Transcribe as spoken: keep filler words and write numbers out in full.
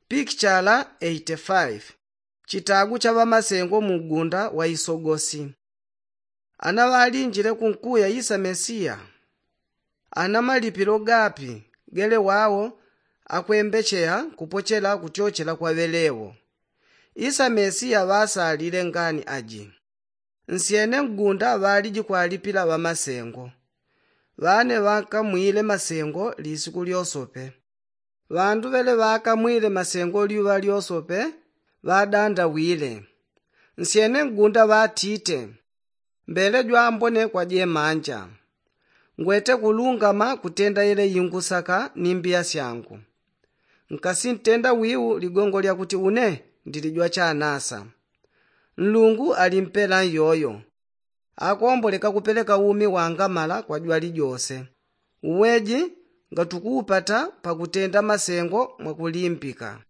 Pikichala eighty five. Chitagu cha ŵamasengo mu mgunda wa isogosi. Ana ŵalinjile kunkuya isa mesiya? Ana malipilo gapi gele wao akwembecheya kupochela kutyochela kwa ŵelewo? Isa mesiya ŵasalile ngani aji? Nsyene mgunda ŵaliji kwalipila ŵamasengo. Ŵane ŵakamwile masengo lisiku lyosope. Ŵandu ŵele ŵakamwile masengo lyuŵa lyosope ŵadandawile. Nsyene mgunda ŵatite, mbele jwambone kwa jemanja. Ngwete kulungama kutenda yele yingusaka ni mbiya syangu. Nkasintenda wiu ligongo lyakuti une ndili jwachanasa. Nlungu alimpela nyoyo. Akomboleka kupeleka umi wangamala kwa jwalijose. Uweji ngatukuupata pakutenda masengo mwakulimbika.